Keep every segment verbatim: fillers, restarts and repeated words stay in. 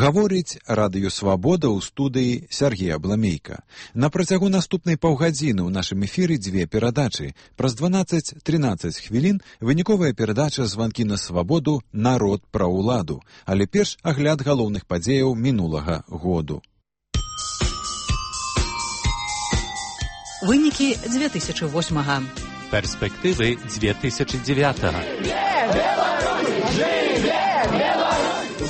Гаворыць радыё «Свабода» ў студыі Сергей Абламейка. На працягу наступнай паўгадзіны ў нашым эфіры дзве перадачы. Праз дванаццаць-трынаццаць хвілін выніковая перадача «Званкі на свабоду. Народ пра ўладу». Але перш агляд галоўных падзеяў минулага году. Вынікі дзве тысячы восьмага. Перспектывы дзве тысячы дзевятага.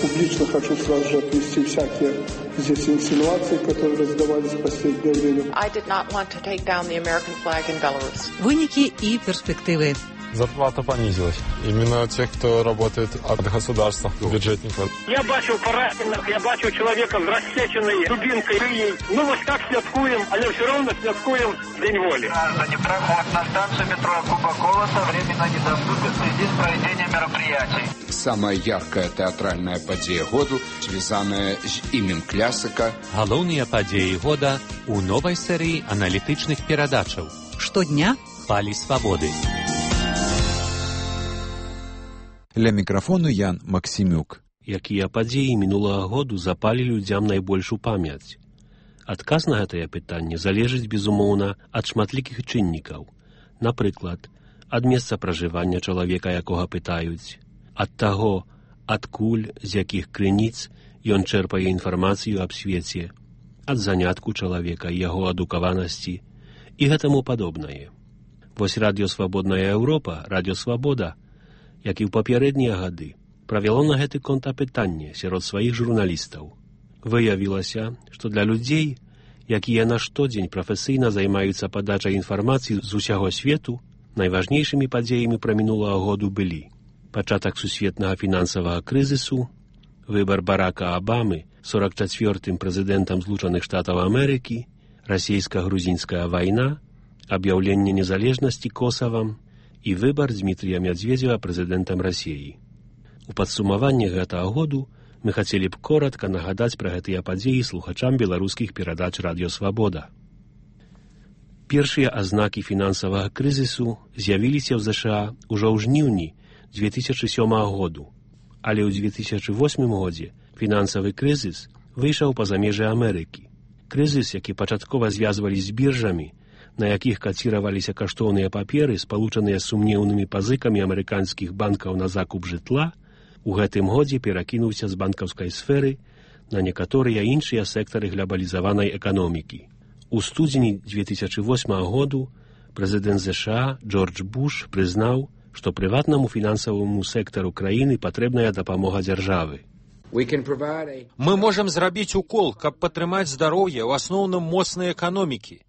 Публично хочу сразу же отвести всякие здесь инсинуации, которые раздавались в последнее время. I did not want to take down the American flag in Belarus. Выніки и перспективы. Зарплата понизилась. Именно тех, кто работает от государства, бюджетников. Я бачу пораненых, я бачу человека с рассеченной дубинкой шеей. Ну вот так святкуем, але все равно святкуем День воли. Граждане, проход на станцию метро Куба-Колоса временно недоступен в связи с проведением мероприятий. Самая яркая театральная падзея году, связанная с именем классика. Галоўныя падзеі года у новой серии аналітычных перадачаў. Штодня Хвалі свабоды. Ля мікрафону Ян Максімюк. Якія падзеі мінулага году запалі людзям найбольш у памяць? Адказ на гэтае пытанне залежыць, безумоўна, ад шматлікіх чыннікаў. Напрыклад, ад месца пражывання чалавека, якога пытаюць, ад таго, адкуль, з якіх крыніц ён чэрпае інфармацыю аб свеце, ад занятку чалавека і яго адукаванасці і гэтаму падобнае. Вось радыё «Свабодная Еўропа», радыё «Свабода», як і ў папярэднія гады, правяло на гэты конт апытанне сярод сваіх журналістаў. Выявілася, што для людзей, якія на штодзень прафесійна займаюцца падачай інфармацыі з усяго свету, найважнейшымі падзеямі пра мінулага году былі пачатак сусветнага фінансавага крызісу, выбар Барака Абамы сорок чацвёртым прэзідэнтам Злучаных Штатаў Амерыкі, расійска-грузінская вайна, аб'яўленне незалежнасці Косавам і выбар Дмітрія Мядзведзева прэзідэнтам Расіі. У падсумаванні гэтага году мы хацелі б коратка нагадаць пра гэтыя падзеі слухачам беларускіх перадач радыё «Свабода». Першыя азнакі фінансавага крызісу з'явіліся ў ЗША ўжо ў жніўні дзве тысячы сёмага году, але ў дзве тысячы восьмым годзе фінансавы крызіс выйшаў па-за межы Амерыкі. Крызіс, які пачаткова звязвалі з біржамі, на якіх каціраваліся каштоўныя паперы, спалучаныя з сумнеўнымі пазыкамі амерыканскіх банкаў на закуп жытла, у гэтым годзе перакінуўся з банкаўскай сферы на некаторыя іншыя сектары глобалізаванай эканомікі. У студзені дзве тысячы восьмага году прэзідэнт ЗША Джордж Буш прызнаў, што прыватнаму фінансаваму сектару краіны патрэбная дапамога дзяржавы. Мы можам зрабіць укол, каб падтрымаць здароўе ў асноўным моцнай эканомікі.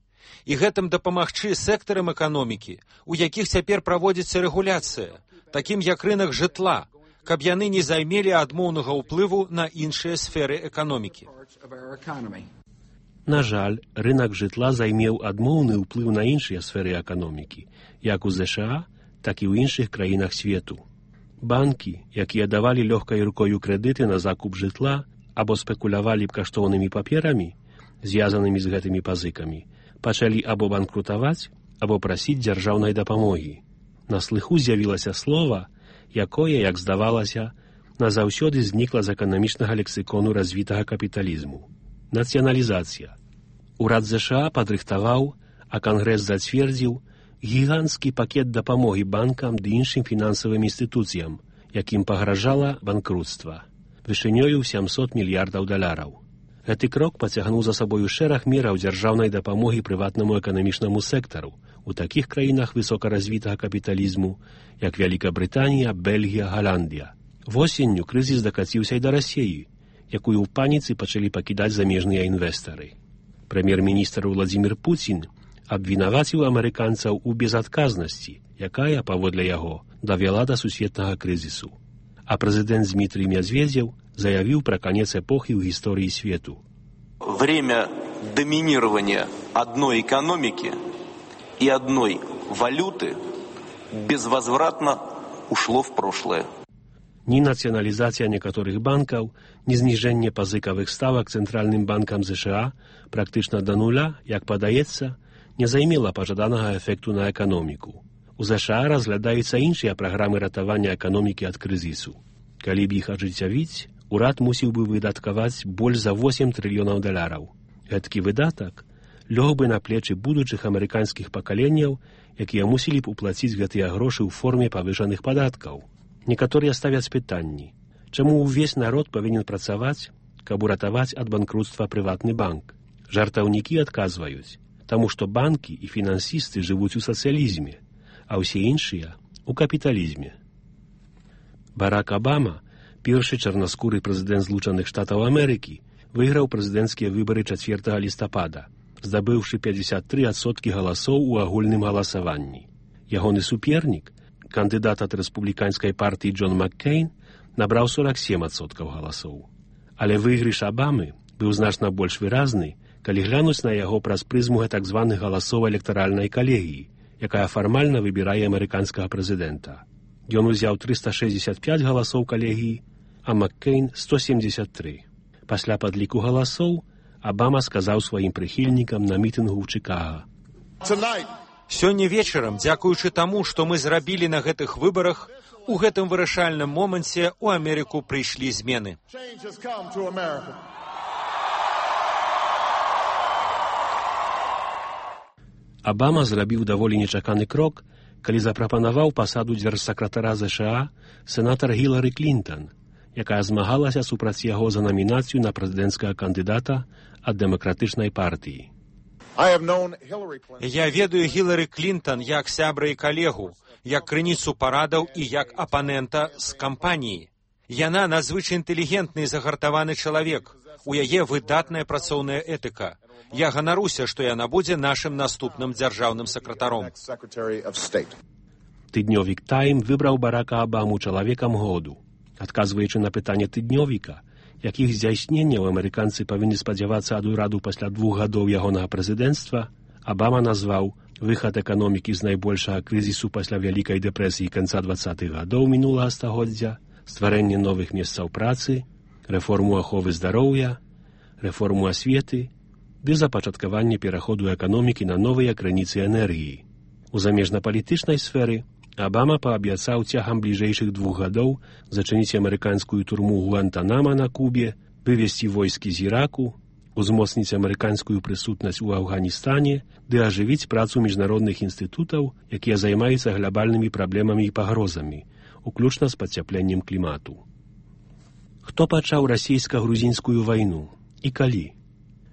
І гэтым дапамагчы сектарам эканомікі, у якіх цяпер праводзіцца рэгуляцыя, такім як рынак жытла, каб яны не займелі адмоўнага ўплыву на іншыя сферы эканомікі. На жаль, рынак жытла займеў адмоўны ўплыў на іншыя сферы эканомікі, як у ЗША, так і ў іншых краінах свету. Банкі, якія давалі лёгкай рукою крэдыты на закуп жытла або спекулявалі б каштоўнымі паперамі, звязанымі з гэтымі пазыкамі, пачалі або банкрутаваць, або прасіць дзяржаўнай дапамогі. На слыху з'явілася слова, якое, як здавалася, назаўсёды знікла з эканамічнага лексікону развітага капіталізму. Нацыяналізацыя. Урад ЗША падрыхтаваў, а Кангрэс зацвердзіў гіганцкі пакет дапамогі банкам ды іншым фінансавым інстытуцыям, якім пагражала банкруцтва, вышынёю сямсот мільярдаў даляраў. Гэты крок пацягнуў за сабою шэраг мераў дзяржаўнай дапамогі прыватнаму эканамічнаму сектару у такіх краінах высокаразвітага капіталізму, як Вялікабрытанія, Бельгія, Галандія. Восенню крызіс дакаціўся і да Расіі, якую ў паніцы пачалі пакідаць замежныя інвестары. Прэм'ер-міністр Владзімір Пуцін абвінаваціў амерыканцаў у безадказнасці, якая, паводле яго, давяла да сусветнага крызісу. А прэзідэнт Дмітрий Мядзведзеў заявил про конец эпохи в истории свету. Время доминирования одной экономики и одной валюты безвозвратно ушло в прошлое. Ни национализация некоторых банков, ни снижение пазыкавых ставок Центральным банком ЗША практично до нуля, як падаецца, не займела пажаданага эфекту на эканоміку. У ЗША разглядаюцца іншыя праграмы ратавання эканомікі ад крызісу. Калі б іх ажыццявіць, урад мусіў бы выдаткаваць больш за восем трыльёнаў даляраў. Гэткі выдатак лёг бы на плечы будучых амерыканскіх пакаленняў, якія мусілі б уплаціць гэтыя грошы ў форме павышаных падаткаў. Некаторыя ставяць пытанні, чаму ўвесь народ павінен працаваць, каб уратаваць ад банкруцтва прыватны банк. Жартаўнікі адказваюць, таму што банкі і фінансісты жывуць у сацыялізме, а ўсе іншыя — у капіталізме. Барак Абама, першы чарнаскуры прэзідэнт Злучаных Штатаў Амерыкі, выйграў прэзідэнцкія выбары чацвёртага лістапада, здабыўшы пятьдесят три адсоткі галасоў у агульным галасаванні. Ягоны супернік, кандыдат ад рэспубліканскай партыі Джон Маккейн, набраў сорок семь адсоткаў галасоў. Але выйгрыш Абамы быў значна больш выразны, калі глянуць на яго праз прызму так званых галасоў электаральнай калегіі, якая фармальна выбірае амерыканскага прэзідэнта. Ён узяў триста шестьдесят пять галасоў калегіі, а Маккейн — сто семьдесят три. Пасля падліку галасоў Абама сказаў сваім прыхільнікам на мітынгу ў Чыкага: «Сёння вечарам, дзякуючы таму, што мы зрабілі на гэтых выбарах, у гэтым вырашальным моманце ў Амерыку прыйшлі змены». Абама зрабіў даволі нечаканы крок, калі запрапанаваў пасаду дзяржсакратара ЗША сенатар Гілары Клінтон, якая змагалася супраць яго за намінацыю на прэзідэнцкага кандыдата ад дэмакратычнай партыі. Я ведаю Гілары Клінтон як сябра і калегу, як крыніцу парадаў і як апанента з кампаніі. Яна надзвычай інтэлігентны і загартаваны чалавек. У яе выдатная працоўная этыка. Я ганаруся, што яна будзе нашым наступным дзяржаўным сакратаром. Тыднёвік «Тайм» выбраў Барака Абаму чалавекам году. Адказваючы на пытанне тыднёвіка, якіх здзяйсненняў амерыканцы павінны спадзявацца ад ураду пасля двух гадоў ягонага прэзідэнцтва, Абама назваў выхад эканомікі з найбольшага крызісу пасля вялікай дэпрэсіі канца двадцатых гадоў мінулага стагоддзя, стварэнне новых месцаў працы, рэформу аховы здароўя, рэформу асветы ды запачаткаванне пераходу эканомікі на новыя крыніцы энергіі. У замежнапалітычнай сферы Абама паабяцаў цягам бліжэйшых двух гадоў зачыніць амерыканскую турму Гуантанамо на Кубе, вывесці войскі з Іраку, узмоцніць амерыканскую прысутнасць у Афганістане ды ажывіць працу міжнародных інстытутаў, якія займаюцца глобальнымі праблемамі і пагрозамі, уключна з падцяпленнем клімату. Хто пачаў расійска-грузінскую вайну і калі?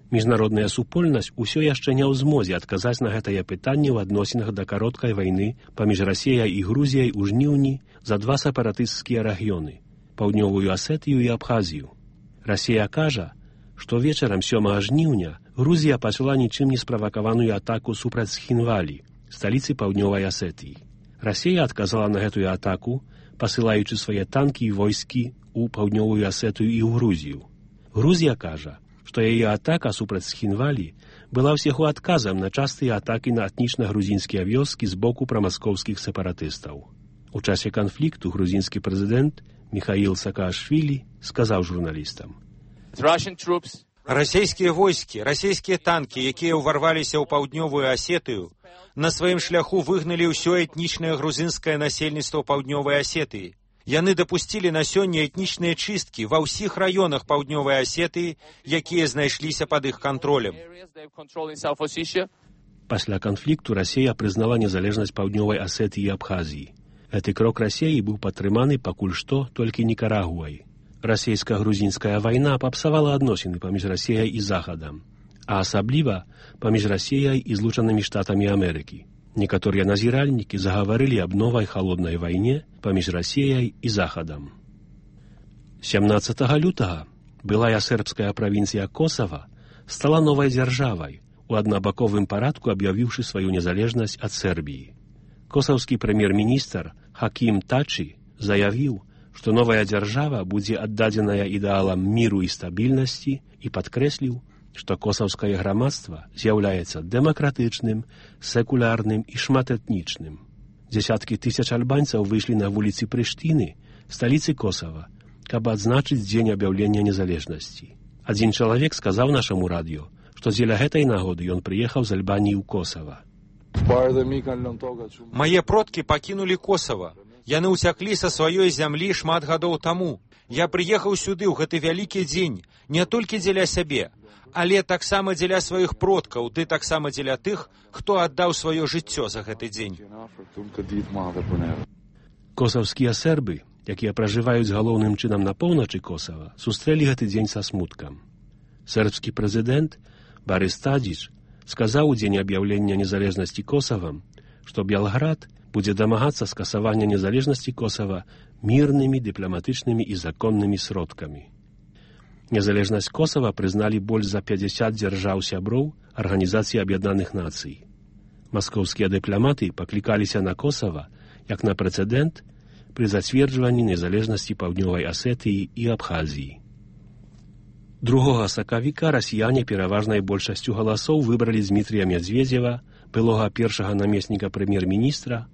Міжнародная супольнасць усё яшчэ не ў змозе адказаць на гэтае пытанне ў адносінах да кароткай вайны паміж Расіяй і Грузіяй у жніўні за два сепаратысцкія рэгіёны — Паўднёвую Асетыю і Абхазію. Расія кажа, што вечарам сёмага жніўня Грузія пачала нічым не справакаваную атаку супраць Схінвалі, сталіцы Паўднёвай Асетыі. Расія адказала на гэтую атаку, пасылаючы свае танкі і войскі ў Паўднёвую Асетыю і ў Грузію. Грузія кажа, што яе атака супраць Схінвалі была ўсяго адказам на частыя атакі на этнічна-грузінскія вёскі з боку прамаскоўскіх сепаратыстаў. У часе канфлікту грузінскі прэзідэнт Міхаіл Саакашвілі сказаў журналістам: «Расійскія войскі, расійскія танкі, якія ўварваліся ў Паўднёвую Асетыю, на сваім шляху выгналі ўсё этнічнае грузінскае насельніцтва Паўднёвай Асетыі. Яны дапусцілі на сёння этнічныя чысткі ва ўсіх раёнах Паўднёвай Асетыі, якія знайшліся пад іх кантролем». Пасля канфлікту Расія прызнала незалежнасць Паўднёвай Асетыі і Абхазіі. Гэты крок Расіі быў падтрыманы пакуль што толькі Нікарагуай. Расійска-грузінская вайна папсавала адносіны паміж Расіяй і Захадам, а асабліва паміж Расіяй і Злучанымі Штатамі Амерыкі. Некаторыя назіральнікі загаварылі аб новай халоднай вайне паміж Расіяй і Захадам. сямнаццатага лютага былая сербская правінцыя Косава стала новай дзяржавай, у аднабаковым парадку аб'явіўшы сваю незалежнасць ад Сербіі. Косаўскі прэм'ер-міністр Хакім Тачі заявіў, што новая дзяржава будзе аддадзеная ідэалам міру і стабільнасці і падкрэсліў, што косаўскае грамадства з'яўляецца дэмакратычным, секулярным і шматэтнічным. Дзясяткі тысяч альбанцаў выйшлі на вуліцы Прыштыны, сталіцы Косава, каб адзначыць дзень аб'яўлення незалежнасці. Адзін чалавек сказаў нашаму радыё, што дзеля гэтай нагоды ён прыехаў з Альбаніі ў Косава. «Мае продкі пакінулі Косава. Яны ўцяклі са сваёй зямлі шмат гадоў таму. Я прыехаў сюды ў гэты вялікі дзень не толькі дзеля сябе, але таксама дзеля сваіх продкаў, ды таксама дзеля тых, хто аддаў сваё жыццё за гэты дзень. Косаўскія сербы, якія пражываюць галоўным чынам на поўначы Косава, сустрэлі гэты дзень са смуткам. Сербскі прэзідэнт Барис Тадзіч сказаў у дзень аб'яўлення незалежнасці Косавам, што Белград будзе дамагацца скасавання незалежнасці Косава мірнымі, дыпламатычнымі і законнымі сродкамі. Незалежнасць Косава прызналі больш за пятьдесят дзяржаў-сяброў Арганізацыі Аб'яднаных Нацый. Маскоўскія дыпламаты паклікаліся на Косава як на прэцэдэнт пры зацверджванні незалежнасці Паўднёвай Асетыі і Абхазіі. Другога сакавіка расіяне пераважнай большасцю галасоў выбралі Змітрія Мядзведзева, былога першага намесніка прэм'ер-міністра,